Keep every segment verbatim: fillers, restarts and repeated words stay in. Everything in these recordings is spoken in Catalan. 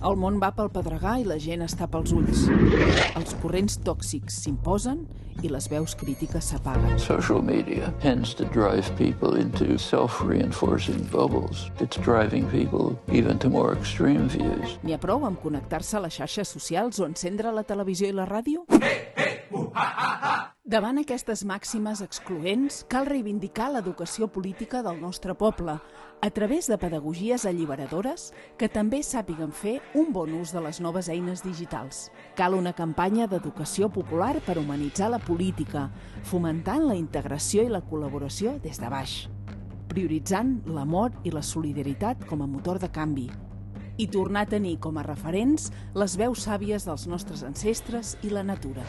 El món va pel pedregar i la gent està pels ulls. Els corrents tòxics s'imposen i les veus crítiques s'apaguen. Social media tends to drive people into self-reinforcing bubbles. It's driving people even to more extreme views. N'hi ha prou amb connectar-se a les xarxes socials o encendre la televisió i la ràdio? Davant aquestes màximes excloents, cal reivindicar l'educació política del nostre poble a través de pedagogies alliberadores que també sàpiguen fer un bon ús de les noves eines digitals. Cal una campanya d'educació popular per humanitzar la política, fomentant la integració i la col·laboració des de baix, prioritzant l'amor i la solidaritat com a motor de canvi, i tornar a tenir com a referents les veus sàvies dels nostres ancestres i la natura.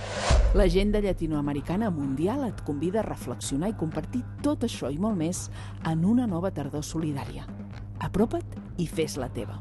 L'Agenda Llatinoamericana Mundial et convida a reflexionar i compartir tot això i molt més en una nova tardor solidària. Apropa't i fes-la teva.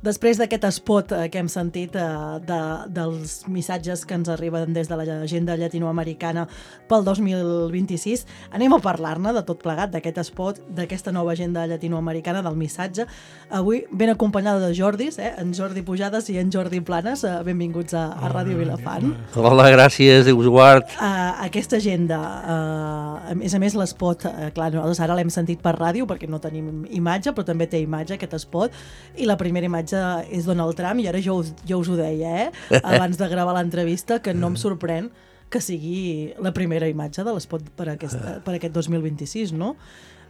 Després d'aquest spot que hem sentit eh, de, dels missatges que ens arriben des de l'agenda llatinoamericana pel dos mil vint-i-sis, anem a parlar-ne de tot plegat, d'aquest spot, d'aquesta nova agenda llatinoamericana, del missatge. Avui ben acompanyada de Jordis, eh? En Jordi Pujades i en Jordi Planes. Eh, benvinguts a, a Ràdio Vilafant. Hola, gràcies, Déu us guard. Uh, aquesta agenda, uh, a més a més l'espot, uh, clar, nosaltres ara l'hem sentit per ràdio perquè no tenim imatge, però també té imatge aquest spot, i la primera imatge és Donald Trump, i ara jo us, jo us ho deia, eh? Abans de gravar l'entrevista, que no em sorprèn que sigui la primera imatge de l'espot per, aquest, per aquest dos mil vint-i-sis, no?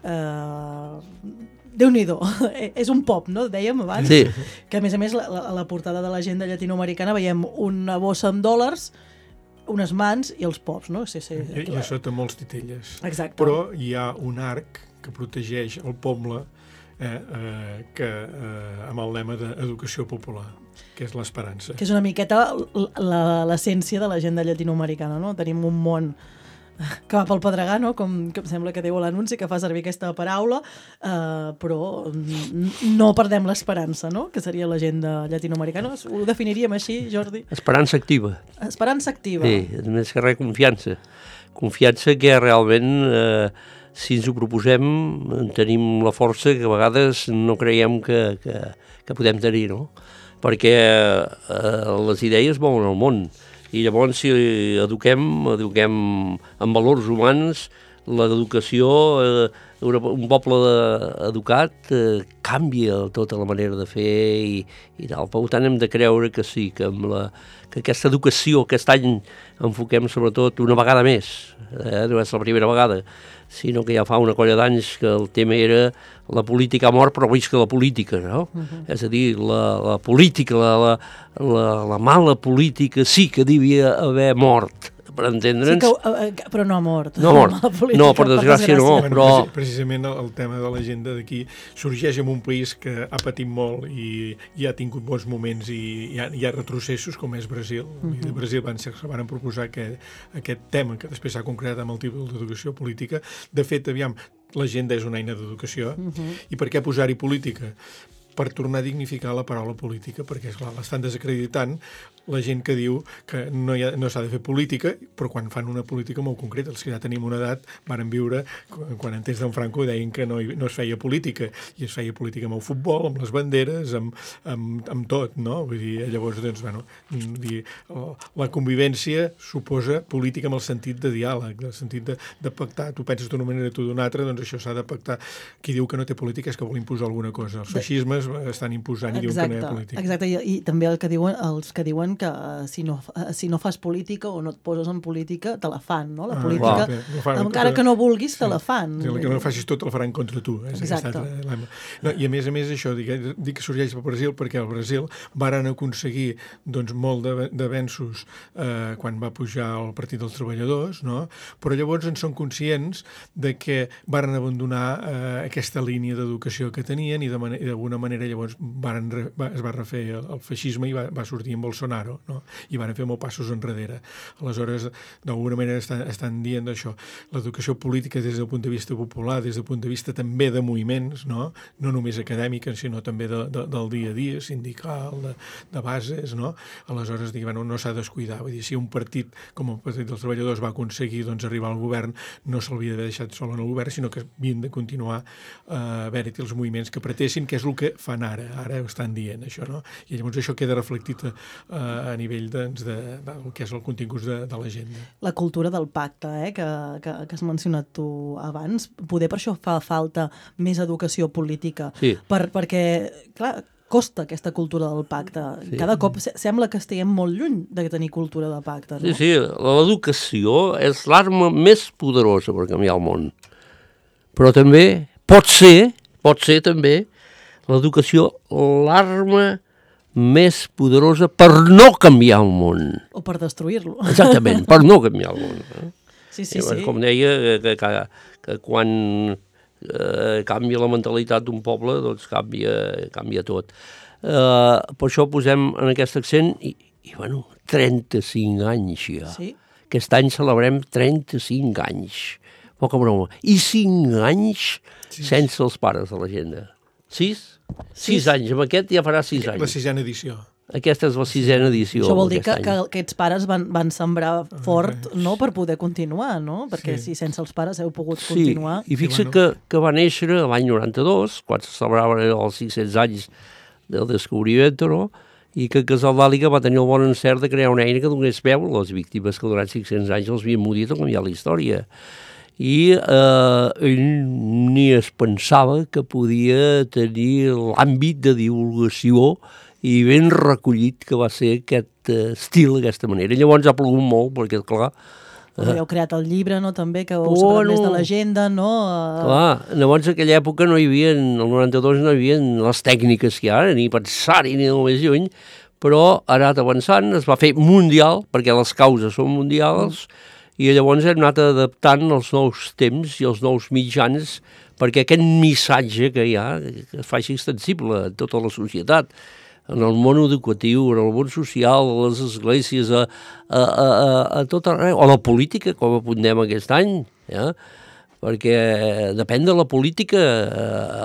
Uh, Déu-n'hi-do, és un pop, no? Dèiem abans, sí. Que a més a més la, la, a la portada de l'agenda llatinoamericana veiem una bossa amb dòlars, unes mans i els pops, no? Sí, sí, I, I a sota molts titelles. Exacte. Però hi ha un arc que protegeix el poble, eh, eh, que, eh, amb el lema d'educació popular, que és l'esperança. Que és una miqueta l'essència de l'agenda llatinoamericana, no? Tenim un món que va pel pedregar, no? Com, com sembla que diu l'anunci, que fa servir aquesta paraula, eh, però no perdem l'esperança, no? Que seria l'agenda llatinoamericana. Ho definiríem així, Jordi? Esperança activa. Esperança activa. Sí, més que res confiança. Confiança que realment, eh, si ens ho proposem, tenim la força que a vegades no creiem que, que, que podem tenir, no? Perquè eh, les idees mouen el món. I llavors, si eduquem, eduquem en valors humans, l'educació, eh, un poble educat eh, canvia tota la manera de fer i, i tal. Per tant, hem de creure que sí, que, amb la, que aquesta educació aquest any enfoquem sobretot una vegada més, eh, no és la primera vegada, sinó que ja fa una colla d'anys que el tema era la política ha mort, però visca la política, no? Uh-huh. És a dir, la, la política, la, la, la, la mala política sí que devia haver mort, per entendre'ns. Sí que, però no ha mort. No ha mort, política, no, per desgràcia no, bueno, però... Precisament el, el tema de l'agenda d'aquí sorgeix en un país que ha patit molt i, i ha tingut bons moments i hi ha, hi ha retrocessos, com és Brasil. Uh-huh. I de Brasil van, ser, van proposar aquest, aquest tema, que després s'ha concretat amb el títol d'educació política. De fet, aviam, l'agenda és una eina d'educació, uh-huh. I per què posar-hi política? Per tornar a dignificar la paraula política, perquè, esclar, l'estan desacreditant la gent que diu que no, hi ha, no s'ha de fer política, però quan fan una política molt concreta. Els que ja tenim una edat varen viure, quan en temps d'en Franco deien que no, no es feia política, i es feia política amb el futbol, amb les banderes, amb, amb, amb tot, no? Vull dir, llavors, doncs, bueno, dir, la convivència suposa política amb el sentit de diàleg, el sentit de, de pactar. Tu penses d'una manera, tu d'una altra, doncs això s'ha de pactar. Qui diu que no té política és que vol imposar alguna cosa. Els feixismes estan imposant i exacte, diuen que no hi ha política. Exacte, i, i també el que diuen, els que diuen que si no, si no fas política o no et poses en política, te la fan, no? La ah, política, clar, no fan, encara que no vulguis, te sí, la fan. Sí, que no facis tot el faran contra tu. És exacte. No, I a més a més això, dic, dic que sorgeix al Brasil perquè al Brasil varen aconseguir doncs, molt d'avenços eh, quan va pujar el Partit dels Treballadors, no? Però llavors en són conscients de que varen abandonar eh, aquesta línia d'educació que tenien i d'alguna manera llavors van, va, es va refer el, el feixisme i va, va sortir en Bolsonaro, no? I van fer molt passos enrere. Aleshores, d'alguna manera estan, estan dient això. L'educació política des del punt de vista popular, des del punt de vista també de moviments, no, no només acadèmics, sinó també de, de, del dia a dia, sindical, de, de bases, no? Aleshores, dic, bueno, no s'ha de descuidar. Vull dir, si un partit com el Partit dels Treballadors va aconseguir doncs, arribar al govern, no s'hauria d'haver deixat sol en el govern, sinó que havien de continuar eh, haver-hi els moviments que pretessin, que és el que fan ara. Ara ho estan dient, això, no? I llavors això queda reflectit a, a nivell doncs, de, de, del que és el contingut de, de l'agenda. La cultura del pacte, eh, que, que, que has mencionat tu abans, poder per això fa falta més educació política, sí. per, perquè, clar, costa aquesta cultura del pacte. Sí. Cada cop sembla que estiguem molt lluny de tenir cultura de pacte, no? Sí, sí, l'educació és l'arma més poderosa per canviar el món. Però també pot ser, pot ser també l'educació l'arma més poderosa per no canviar el món. O per destruir-lo. Exactament, per no canviar el món. Eh? Sí, sí, sí. Com deia, que, que, que quan eh, canvia la mentalitat d'un poble, doncs canvia, canvia tot. Eh, per això posem en aquest accent, i, i bueno, trenta-cinc anys ja. Sí. Aquest any celebrem trenta-cinc anys. Poca broma. I cinc anys sí. sense els pares de l'agenda. Sis? Sis anys. Amb aquest ja farà sis anys. La sisena edició. Aquesta és la sisena edició. Això vol dir que, que aquests pares van, van sembrar fort, no?, per poder continuar, no? Perquè sí. si sense els pares heu pogut sí. continuar... I fixa bueno. que, que va néixer l'any noranta-dos, quan se celebraven els cinc-cents anys del descobriment, no? I que Casal d'Àliga va tenir el bon encert de crear una eina que donés veu a les víctimes que durant cinc-cents anys els havien morit o canviat la història. I eh, ell ni es pensava que podia tenir l'àmbit de divulgació i ben recollit que va ser aquest uh, estil, d'aquesta manera. Llavors ha plogut molt, perquè, clar... Uh, heu creat el llibre, no?, també, que heu sabut més de l'agenda, no? Uh... Clar, llavors en aquella època no hi havia, el noranta-dos no hi havia les tècniques que hi ha ara, ni pensar-hi ni el més lluny, però ha anat avançant, es va fer mundial, perquè les causes són mundials, mm. i llavors hem anat adaptant els nous temps i els nous mitjans perquè aquest missatge que hi ha que es faci extensible a tota la societat, en el món educatiu, en el món social, a les esglésies, a, a, a, a tot arreu, o a la política, com apuntem aquest any, ja? Perquè depèn de la política,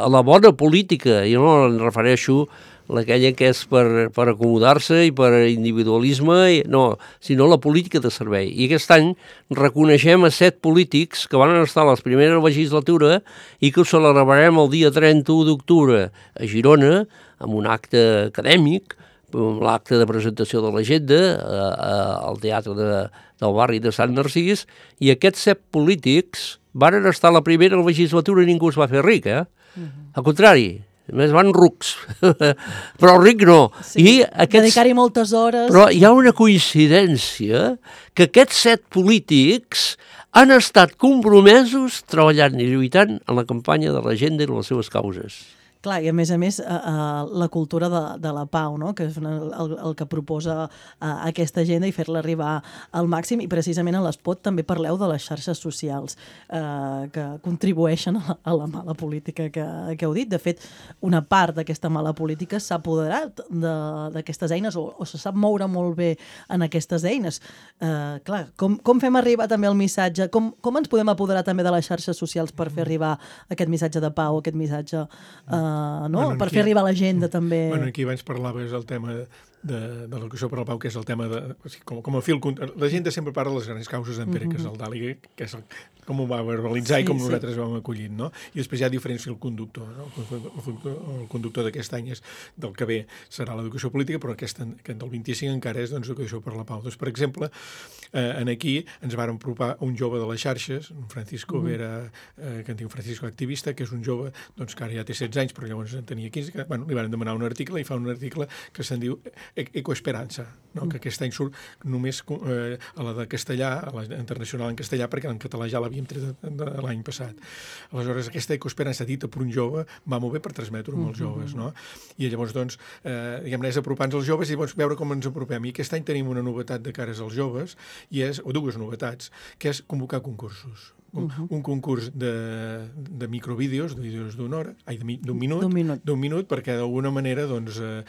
a la bona política, jo no em refereixo a aquella que és per, per acomodar-se i per individualisme, i, no, sinó la política de servei. I aquest any reconeixem a set polítics que van estar a la primera legislatura i que ho celebrarem el dia trenta-u d'octubre a Girona, amb un acte acadèmic, l'acte de presentació de l'agenda al teatre de, del barri de Sant Narcís, i aquests set polítics van estar a la primera legislatura i ningú es va fer ric, eh? Uh-huh. Al contrari, més van rucs, però ric no. Sí, I aquests... dedicar-hi moltes hores. Però hi ha una coincidència que aquests set polítics han estat compromesos treballant i lluitant en la campanya de l'agenda i les seves causes. Clar, i a més a més, uh, uh, la cultura de, de la pau, no?, que és una, el, el que proposa uh, aquesta agenda i fer-la arribar al màxim, i precisament a l'Espot també parleu de les xarxes socials uh, que contribueixen a la, a la mala política que, que heu dit. De fet, una part d'aquesta mala política s'ha apoderat d'aquestes eines o, o se sap moure molt bé en aquestes eines. Uh, clar, com, com fem arribar també el missatge? Com, com ens podem apoderar també de les xarxes socials per fer arribar aquest missatge de pau, aquest missatge... Uh, Uh, no? Bueno, per aquí, fer arribar a l'agenda també. Bueno, aquí abans parlaves el tema de, de, de l'educació per la pau, que és el tema de... Com, com a fil... La gent sempre parla de les grans causes d'en Pere Casal d'Àliga, que és el, com ho va verbalitzar sí, i com sí. nosaltres vam acollit, no? I després hi ha diferents fil conductor, no? El, el conductor d'aquest any és del que ve serà l'educació política, però aquest, aquest del vint-i-cinc encara és doncs, l'educació per la pau. Doncs, per exemple, eh, en aquí ens vàrem apropar un jove de les xarxes, un Francisco mm. Vera, eh, que en diu Francisco Activista, que és un jove doncs, que ara ja té setze anys, però llavors en tenia quinze, que bueno, li van demanar un article i fa un article que se'n diu Ecoesperança, no? Mm. que aquest any surt només eh, a la de castellà, a la internacional en castellà, perquè en català ja l'havíem tret l'any passat. Aleshores, aquesta Ecoesperança dita per un jove va molt bé per transmetre-ho amb els joves, no? I llavors, doncs, eh, diguem-ne, és apropar-nos als joves i llavors veure com ens apropem. I aquest any tenim una novetat de cares als joves, i és, o dues novetats, que és convocar concursos. un, uh-huh. un concurs de, de microvídeos, de vídeos d'una hora, ai, d'un minut, d'un minut, d'un minut, perquè d'alguna manera doncs, eh,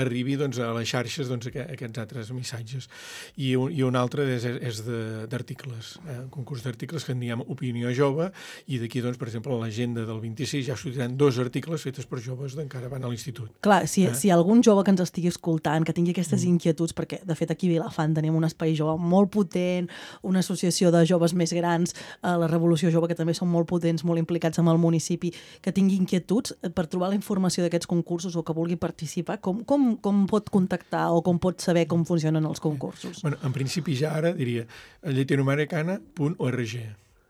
arribi doncs, a les xarxes doncs, aquests altres missatges. I un, i un altre és, és d'articles, eh, un concurs d'articles que en diem Opinió Jove, i d'aquí, doncs, per exemple, a l'agenda del vint-i-sis ja sortiran dos articles fetes per joves d'encara van a l'institut. Clar, si, eh? si algun jove que ens estigui escoltant, que tingui aquestes mm. inquietuds, perquè de fet aquí a Vilafant tenim un espai jove molt potent, una associació de joves més grans, eh, la Revolució Jove, que també són molt potents, molt implicats amb el municipi, que tingui inquietuds per trobar la informació d'aquests concursos o que vulgui participar, com, com, com pot contactar o com pot saber com funcionen els concursos? Bueno, en principi ja ara diria llatinoamericana punt org.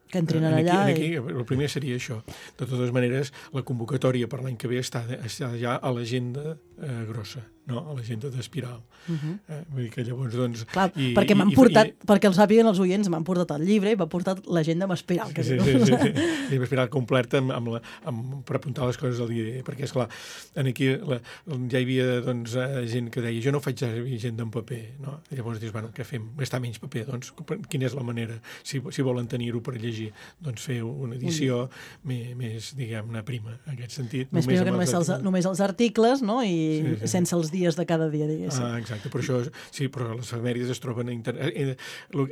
Que entrin aquí, allà. Aquí, I... el primer seria això. De totes maneres, la convocatòria per l'any que ve està, està ja a l'agenda eh, grossa, no? A l'agenda d'Espiral. Uh-huh. eh, vull dir que llavors, doncs... Clar, i, perquè m'han i, portat, i, perquè el sàpiguen els oients, m'han portat el llibre i m'han portat l'agenda amb Espiral. Que sí, sí, sí, sí. L'agenda Espiral completa amb, amb la, amb, per apuntar les coses del dia, perquè, esclar, aquí la, ja hi havia doncs, gent que deia jo no faig agenda en paper, no? I llavors dius, bueno, què fem? Gastar menys paper, doncs quina és la manera? Si, si volen tenir-ho per llegir, doncs fer una edició mm. més, més, diguem-ne, prima, en aquest sentit. Més prima que només els, només els articles, no? I sí, sí. sense els dies de cada dia, diguéssim. Ah, exacte, per això, sí, però les efemèrides es troben a internet.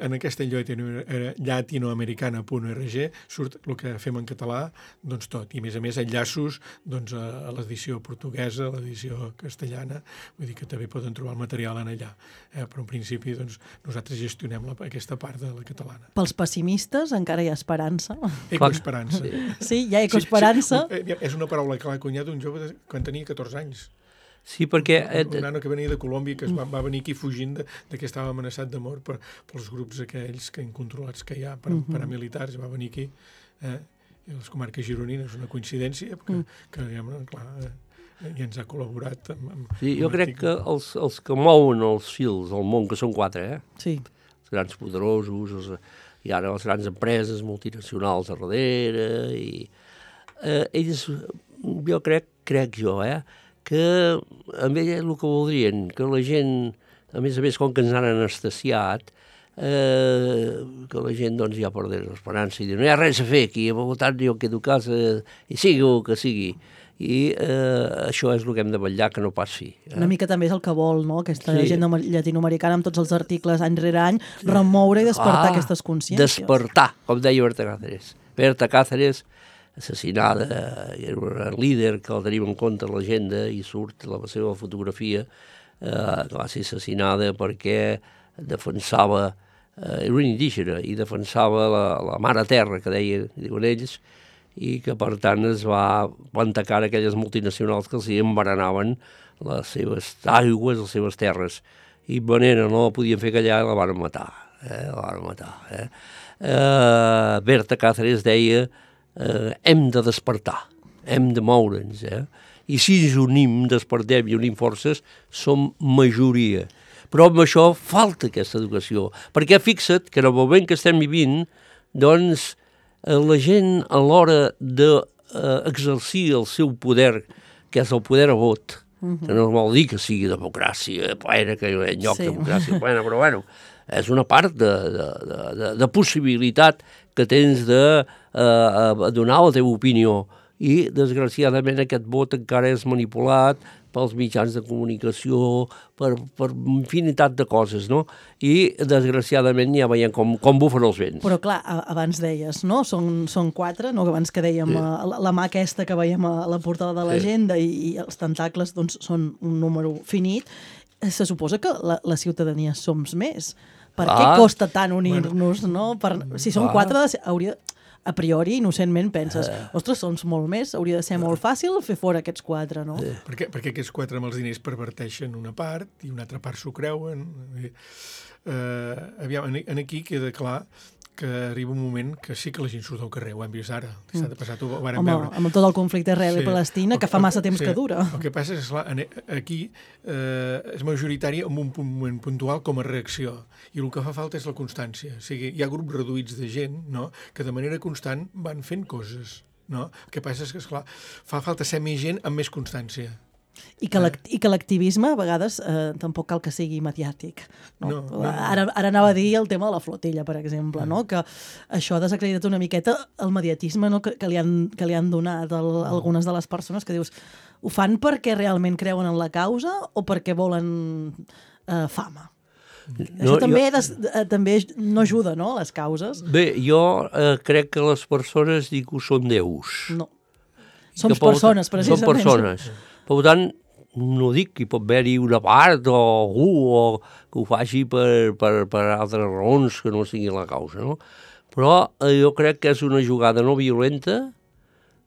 En aquesta llatinoamericana punt org surt el que fem en català, doncs tot, i a més a més enllaços doncs, a l'edició portuguesa, a l'edició castellana, vull dir que també poden trobar el material en allà. Eh, però en principi doncs, nosaltres gestionem la, aquesta part de la catalana. Pels pessimistes encara hi ha esperança. Ecoesperança. Sí, hi ha ecoesperança. Sí, sí. És una paraula que l'ha cunyat un jove quan tenia catorze anys. Sí, perquè... Un, un nano que venia de Colòmbia, que es va, va venir aquí fugint de, de que estava amenaçat de mort per, pels grups aquells que incontrolats que hi ha, per, uh-huh. paramilitars, va venir aquí, eh, i les comarques gironines, una coincidència, que, uh-huh. que diguem, clar, eh, i ens ha col·laborat amb... amb sí, jo crec que els, els que mouen els fils al món, que són quatre, eh? Sí. Els grans poderosos, els, i ara les grans empreses multinacionals a darrere, i eh, ells, jo crec, crec jo, eh, que amb ella el que voldrien, que la gent, a més a més, com que ens han anestesiat, eh, que la gent doncs ja perdés l'esperança i dir, no hi ha res a fer aquí, per tant jo quedo a casa i sigui el que sigui. I eh, això és el que hem de vetllar, que no passi. Eh? Una mica també és el que vol, no? Aquesta sí. agenda llatinoamericana amb tots els articles any rere any, remoure i despertar ah, aquestes consciències. Despertar, com deia Berta Cáceres. Berta Cáceres, assassinada, era un líder que el tenim en compte a l'agenda i surt la seva fotografia, eh, que va ser assassinada perquè defensava, eh, era un indígena, i defensava la, la mare terra, que deien, diuen ells, i que per tant es va plantar cara a aquelles multinacionals que els envenenaven les seves aigües, les seves terres, i manera no la podien fer callar i la van matar, eh, la van matar. Eh. Eh, Berta Cáceres deia eh, hem de despertar, hem de moure'ns, eh? I si ens unim, despertem i unim forces, som majoria. Però amb això falta aquesta educació, perquè fixa't que en el moment que estem vivint, doncs, la gent a l'hora d'exercir el seu poder, que és el poder a vot, uh-huh. que no vol dir que sigui democràcia plena, que hi ha lloc sí. de democràcia plena, però bueno, és una part de, de, de, de possibilitat que tens de eh, donar la teva opinió. I, desgraciadament, aquest vot encara és manipulat pels mitjans de comunicació, per, per infinitat de coses, no? I, desgraciadament, ja veiem com, com bufen els vents. Però, clar, abans deies, no? Són, són quatre, no? Abans que dèiem sí. la, la mà aquesta que veiem a la portada de l'agenda sí. i, i els tentacles, doncs, són un número finit. Se suposa que la, la ciutadania som més. Per ah. què costa tant unir-nos, bueno. no? Per, si són ah. quatre, hauria... a priori, innocentment, penses, uh, ostres, són molt més, hauria de ser molt fàcil fer fora aquests quatre, no? Uh, perquè, perquè aquests quatre amb els diners perverteixen una part i una altra part s'ho creuen. Uh, aviam, en aquí queda clar que arriba un moment que sí que la gent surt al carrer, ho hem vist ara, dissabte passat ho vàrem Home, veure. Amb tot el conflicte Israel sí. i Palestina, que fa massa temps sí. que dura. El que passa és que aquí eh, és majoritari en un moment puntual com a reacció, i el que fa falta és la constància. O sigui, hi ha grups reduïts de gent, no?, que de manera constant van fent coses, no? El que passa és que, esclar, fa falta ser més gent amb més constància. I que l'ac- i que l'activisme a vegades eh, tampoc cal que sigui mediàtic. No? No, no, no. Ara, ara anava a dir el tema de la flotilla, per exemple, no? Que això ha desacreditat una miqueta el mediatisme, no? que, que, li han, que li han donat el, algunes de les persones que dius ho fan perquè realment creuen en la causa o perquè volen eh, fama? No, això també, jo... des, eh, també no ajuda, no?, a les causes. Bé, jo eh, crec que les persones dic que són déus. No. Som persones, precisament. Són persones. Per tant, no dic que hi pot haver-hi una part o algú o que ho faci per, per, per altres raons que no sigui la causa, no? Però eh, jo crec que és una jugada no violenta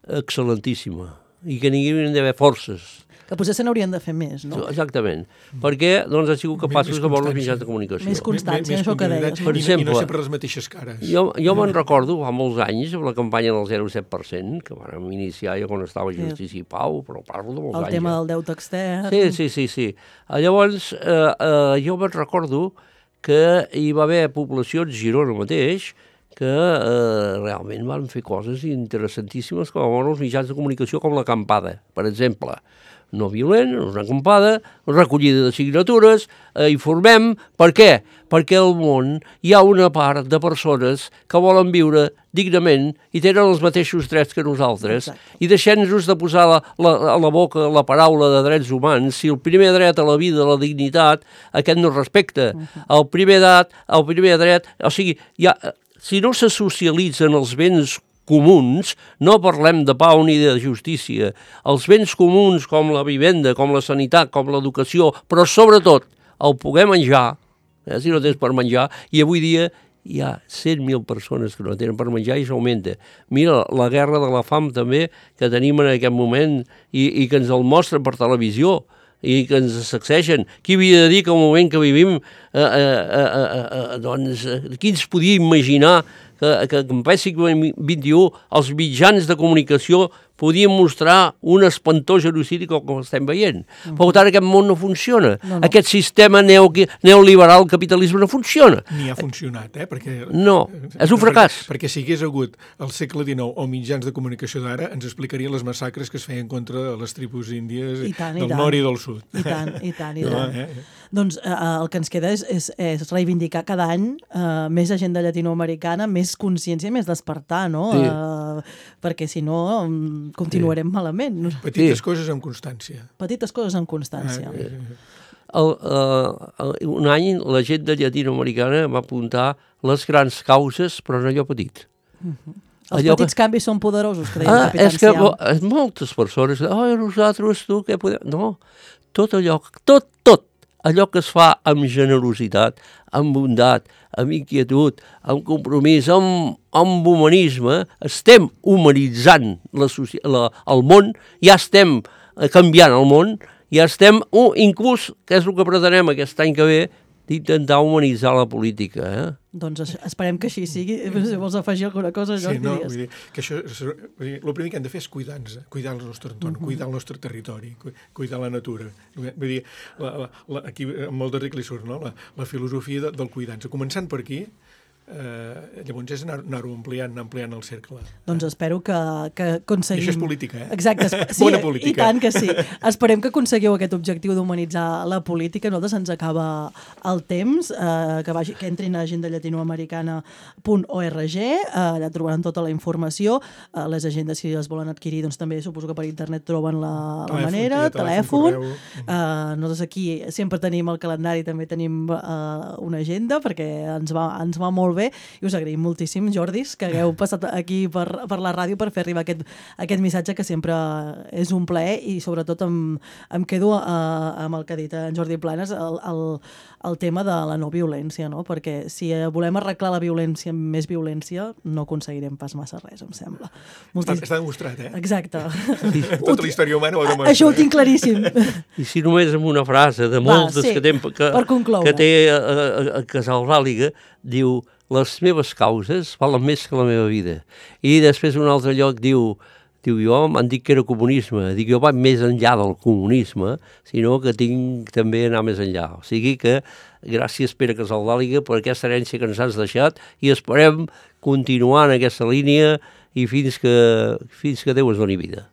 excel·lentíssima i que n'hi hauria d'haver forces. Que potser se n'haurien de fer més, no? Exactament. Perquè doncs, han sigut capaços de veure els mitjans de comunicació. Més constància, això que deies. Per exemple, I no sempre les mateixes cares. Jo, jo me'n recordo fa molts anys amb la campanya del zero coma set per cent, que vam iniciar jo quan estava a Justícia i Pau, però parlo de molts el anys. El tema ja. del deute extern. Sí, sí, sí. sí. Llavors, eh, eh, jo me'n recordo que hi va haver poblacions, Girona mateix, que eh, realment van fer coses interessantíssimes com a els mitjans de comunicació, com l'acampada, per exemple. No violent, una acampada, recollida de signatures, eh, informem. Per què? Perquè al món hi ha una part de persones que volen viure dignament i tenen els mateixos drets que nosaltres. Exacte. I deixem-nos de posar la, la, a la boca la paraula de drets humans. Si el primer dret a la vida, a la dignitat, aquest no es respecta. Uh-huh. El primer dret, el primer dret, o sigui, hi ha, si no se socialitzen els béns comuns, no parlem de pau ni de justícia. Els béns comuns com la vivenda, com la sanitat, com l'educació, però sobretot el poder menjar, eh, si no tens per menjar, i avui dia hi ha cent mil persones que no tenen per menjar i s'augmenta. Mira, la guerra de la fam també que tenim en aquest moment i, i que ens el mostren per televisió i que ens sacsegen. Qui havia de dir que al moment que vivim, eh, eh, eh, eh, doncs, qui ens podia imaginar que, que, que en ple segle vint i u els mitjans de comunicació podien mostrar un espantós genocidi com, com estem veient. Mm-hmm. Per tant, aquest món no funciona. No, no. Aquest sistema neo, neoliberal capitalisme no funciona. Ni ha funcionat, eh? Perquè, no, és un fracàs. Perquè, perquè si hagués hagut al segle dinou o mitjans de comunicació d'ara, ens explicarien les massacres que es feien contra les tribus índies I tant, del i nord i del sud. I tant, i tant, i no, tant. Eh? Doncs eh, el que ens queda és, és, és reivindicar cada any eh, més agenda llatinoamericana, més consciència, més despertar, no? Sí. Eh, perquè si no continuarem sí. malament. Petites sí. coses amb constància. Petites coses amb constància. Ah, sí. el, uh, un any la gent de llatinoamericana va apuntar les grans causes, però en allò petit. Uh-huh. Els allò petits que... canvis són poderosos, que deia ah, el Capitán és que Siam. Moltes persones, oh, nosaltres, tu, què podem... No, tot allò, tot, tot, allò que es fa amb generositat, amb bondat, amb inquietud, amb compromís, amb, amb humanisme, estem humanitzant la, la, el món, ja estem canviant el món, ja estem, uh, inclús, que és el que pretenem aquest any que ve, d'intentar humanitzar la política. Eh? Doncs esperem que així sigui. Si vols afegir alguna cosa, Jordi, sí, no, digues. Vull dir, que això, vull dir, el primer que hem de fer és cuidar-nos, cuidar el nostre entorn, uh-huh. cuidar el nostre territori, cuidar la natura. Vull dir, la, la, la, aquí amb el darrer que li surt, no? la, la filosofia de, del cuidar-nos. Començant per aquí, Eh, llavors és anar-ho anar ampliant, anar ampliant el cercle. Doncs espero que, que aconseguim... I això és política, eh? Exacte. Sí, bona política. I tant que sí. Esperem que aconseguiu aquest objectiu d'humanitzar la política. Nosaltres ens acaba el temps, eh, que, vagi, que entrin a agenda llatinoamericana punt org, eh, allà trobaran tota la informació. Eh, les agendes, si les volen adquirir, doncs també suposo que per internet troben la, la telèfon, manera, telèfon. telèfon. Eh, nosaltres aquí sempre tenim el calendari, també tenim eh, una agenda, perquè ens va, ens va molt bé, i us agraïm moltíssim, Jordis, que hagueu passat aquí per, per la ràdio per fer arribar aquest, aquest missatge que sempre és un plaer, i sobretot em, em quedo uh, amb el que ha dit en Jordi Planes, el, el, el tema de la no violència, no? Perquè si volem arreglar la violència amb més violència, no aconseguirem pas massa res, em sembla. Moltíssim. Està, està demostrat, eh? Exacte. Tota la història humana ho ha demostrat. Això ho tinc claríssim. I si només amb una frase de moltes Va, sí, que, tem, que, que té a, a, a Casalbàliga, diu: les meves causes valen més que la meva vida. I després un altre lloc diu, diu jo m'han dit que era comunisme, dic jo vaig més enllà del comunisme, sinó que tinc també anar més enllà. O sigui que gràcies Pere Casalbàliga per aquesta herència que ens has deixat, i esperem continuar en aquesta línia i fins que, fins que Déu es doni vida.